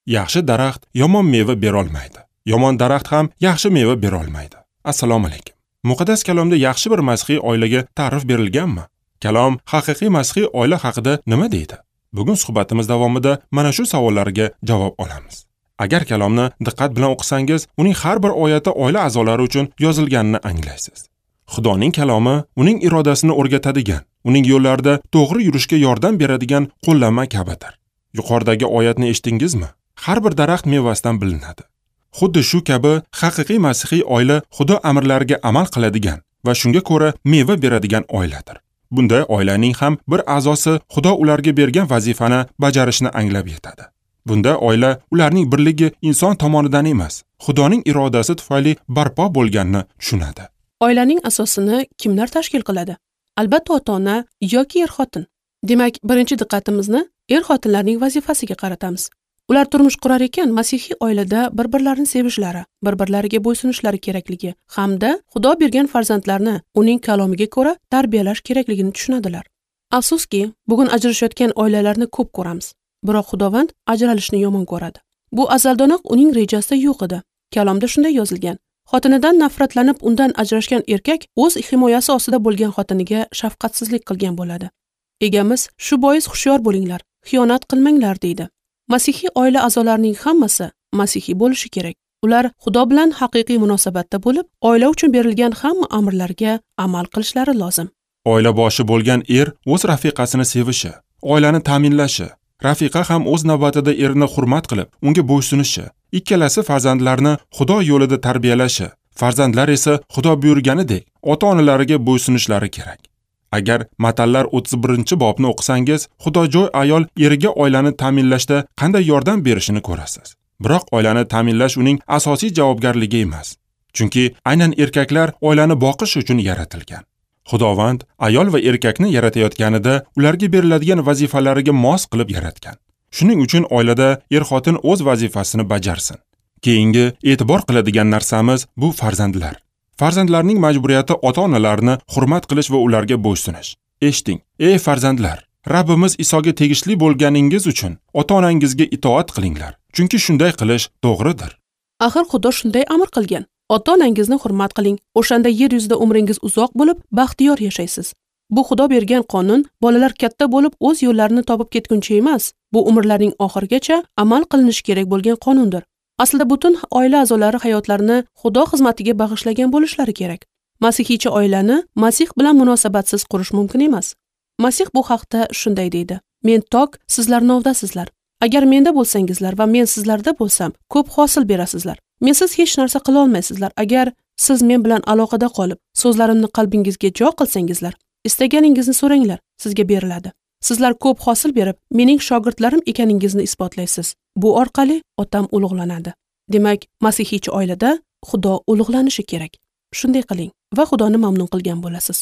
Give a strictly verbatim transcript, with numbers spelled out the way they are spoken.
Yaxshi daraxt yomon meva berolmaydi. Yomon daraxt ham yaxshi meva berolmaydi. Assalomu alaykum. Muqaddas kalomda yaxshi bir masihiy oilaga ta'rif berilganmi? Kalom haqiqiy masihiy oila haqida nima deydi? Bugun suhbatimiz davomida mana shu savollarga javob olamiz. Agar kalomni diqqat bilan o'qisangiz, uning har bir oyati oila a'zolari uchun yozilganini anglaysiz. Xudoning kalomi uning irodasini o'rgatadigan, uning yo'llarida to'g'ri yurishga yordam beradigan qo'llanma kabidir. Yuqoridagi oyatni eshitdingizmi? Har bir daraxt mevasidan bilinadi. Xuddi shu kabi haqiqiy masihiy oila Xudo amrlariga amal qiladigan va shunga ko'ra meva beradigan oiladir. Bunday oilaning ham bir a'zosi Xudo ularga bergan vazifani bajarishni anglab yetadi. Bunda oila ularning birligi inson tomonidan emas, Xudoning irodasi tufayli barpo bo'lganini tushunadi. Oilaning asosini kimlar tashkil qiladi? Albatta ota-ona yoki er-xotin. Demak, birinchi diqqatimizni er-xotinlarning vazifasiga qaratamiz. Ular turmush qurar ekan, masihiy oilada bir-birlarini sevishlari, bir-birlariga bo'ysunishlari kerakligi hamda Xudo bergan farzandlarni uning kalomiga ko'ra tarbiyalash kerakligini tushunadilar. Afsuski, bugun ajrashayotgan oilalarni ko'p ko'ramiz. Biroq Xudovand ajralishni yomon ko'radi. Bu azaldanoq uning rejasida yo'q edi. Kalomda shunday yozilgan: xotinidan nafratlanib undan ajrashgan erkak o'z himoyasi ostida bo'lgan xotiniga shafqatsizlik qilgan bo'ladi. Egamiz shu bois hushyor bo'linglar, xiyonat qilmanglar deydi. Masihiy oila a'zolarining hammasi masihiy bo'lishi kerak. Ular Xudo bilan haqiqiy munosabatda bo'lib, oila uchun berilgan hamma amrlarga amal qilishlari lozim. Oila boshi bo'lgan er o'z rafiqasini sevishi, oilani ta'minlashi, rafiqa ham o'z navbatida erini hurmat qilib, unga bo'ysunishi, ikkalasi farzandlarni Xudo yo'lida tarbiyalashi, farzandlar esa Xudo buyurganidek ota-onalariga bo'ysunishlari kerak. Agar Matallar o'ttiz birinchi bobni o'qisangiz, xudojo'y ayol eriga oilani ta'minlashda qanday yordam berishini ko'rasiz. Biroq oilani ta'minlash uning asosiy javobgarligi emas. Chunki aynan erkaklar oilani boqish uchun yaratilgan. Xudovand ayol va erkakni yaratayotganida ularga beriladigan vazifalariga mos qilib yaratgan. Shuning uchun oilada er-xotin o'z vazifasini bajarsin. Keyingi e'tibor qiladigan narsamiz bu farzandlar. Farzandlarning majburiyati ota-onalarni hurmat qilish va ularga bo'ysunish. Eshiting, ey farzandlar, Rabbimiz Isoga tegishli bo'lganingiz uchun ota-onangizga itoat qilinglar, chunki shunday qilish to'g'ridir. Axir Xudo shunday amr qilgan. Ota-onangizni hurmat qiling, o'shanda yer yuzida umringiz uzoq bo'lib, baxtiyor yashaysiz. Bu Xudo bergan qonun bolalar katta bo'lib o'z yo'llarini topib ketguncha emas, bu umrlarning oxirigacha amal qilinishi kerak bo'lgan qonundir. Aslida butun oila a'zolari hayotlarini Xudo xizmatiga bag'ishlagan bo'lishlari kerak. Masihiycha oilani Masih bilan munosabatsiz qurish mumkin emas. Masih bu haqda shunday deydi: Men tok, sizlar novdasizlar. Agar menda bo'lsangizlar va men sizlarda bo'lsam, ko'p hosil berasizlar. Mensiz hech narsa qila olmaysizlar. Agar siz men bilan aloqada qolib, so'zlarimni qalbingizga jo qilsangizlar, istaganingizni so'ranglar, sizga beriladi. Sizlar ko'p hosil berib, mening shogirdlarim ekaningizni isbotlaysiz. Bu orqali otam ulug'lanadi. Demak, masihiychi oilada Xudo ulug'lanishi kerak. Shunday qiling va Xudoni mamnun qilgan bo'lasiz.